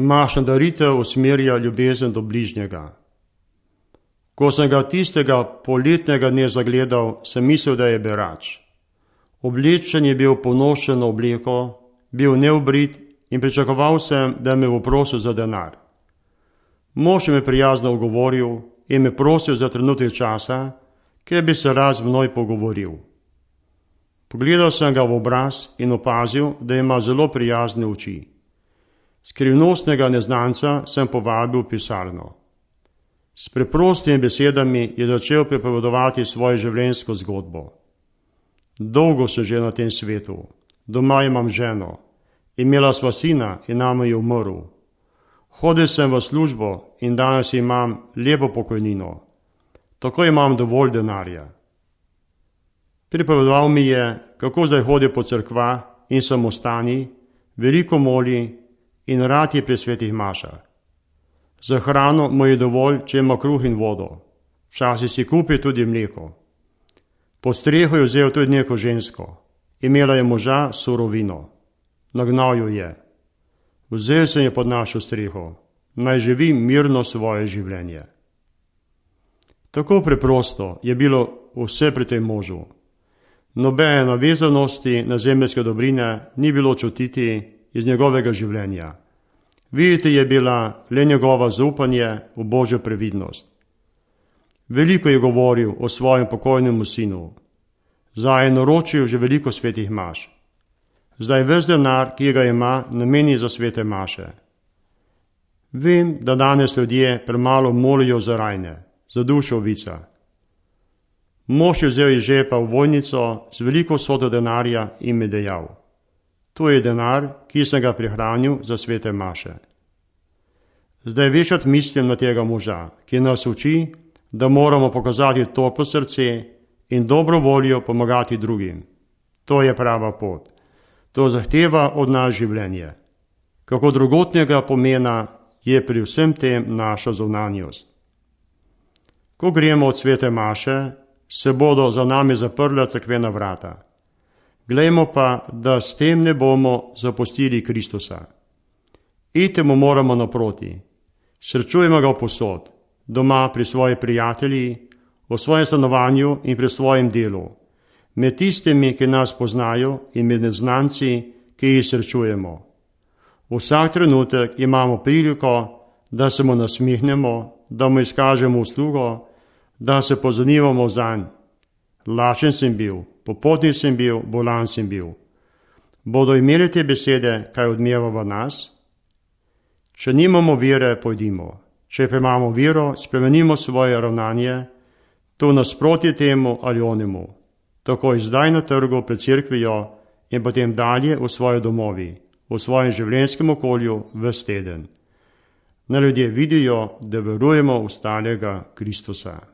Mašna daritev usmerja ljubezen do bližnjega. Ko sem ga tistega poletnega dne zagledal, sem mislil, da je berač. Oblečen je bil ponošeno obleko, bil neobrit in pričakoval sem, da me bo prosil za denar. Mož je me prijazno ogovoril in me prosil za trenutek časa, ker bi se rad z moj pogovoril. Pogledal sem ga v obraz in opazil, da ima zelo prijazne oči. Skrivnostnega neznanca sem povabil v pisarno. S preprostimi besedami je začel pripovedovati svojo življenjsko zgodbo. Dolgo sem že na tem svetu, doma imam ženo, imela sva sina in nama je umrl. Hodil sem v službo in danes imam lepo pokojnino. Tako imam dovolj denarja. Pripovedoval mi je, kako zdaj hodi po cerkvah in samostani, veliko moli in rad je pri svetih mašah. Za hrano mu je dovolj, če ima kruh in vodo. Včasih si kupi tudi mleko. Po streho je vzel tudi neko žensko. Imela je moža surovino. Nagnal jo je. Vzel sem je pod našo streho. Naj živi mirno svoje življenje. Tako preprosto je bilo vse pri tem možu. Nobene navezanosti na zemeljske dobrine ni bilo čutiti iz njegovega življenja. Videti je bila le njegova zaupanje v Božjo previdnost. Veliko je govoril o svojem pokojnemu sinu. Zdaj je naročil že veliko svetih maš. Zdaj ves denar, ki ga ima, nameni za svete maše. Vem, da danes ljudje premalo molijo za rajne, za dušo ovica. Mož je vzel iz žepa ovojnico z veliko vsoto denarja in mi dejal: to je denar, ki sem ga prihranil za svete maše. Zdaj večkrat mislim na tega moža, ki nas uči, da moramo pokazati toplo srce in dobro voljo pomagati drugim. To je prava pot. To zahteva od nas življenje. Kako drugotnega pomena je pri vsem tem naša zunanjost. Ko gremo od svete maše, se bodo za nami zaprla cerkvena vrata. Glejmo pa, da s tem ne bomo zapustili Kristusa. Iti mu moramo naproti. Srečujemo ga povsod, doma pri svoji prijatelji, v svojem stanovanju in pri svojem delu, med tistimi, ki nas poznajo in med neznanci, ki jih srečujemo. Vsak trenutek imamo priliko, da se mu nasmihnemo, da mu izkažemo uslugo, da se pozanimamo zanj. Lačen sem bil, popotnik sem bil, bolan sem bil. Bodo imeli te besede kaj odmeva v nas? Če nimamo vere, pojdimo. Če pa imamo vero, spremenimo svoje ravnanje, to nasproti temu ali onemu. Tako zdaj na trgu pred cerkvijo in potem dalje v svoji domovi, v svojem življenjskem okolju ves teden. Na ljudje vidijo, da verujemo v stalega Kristusa.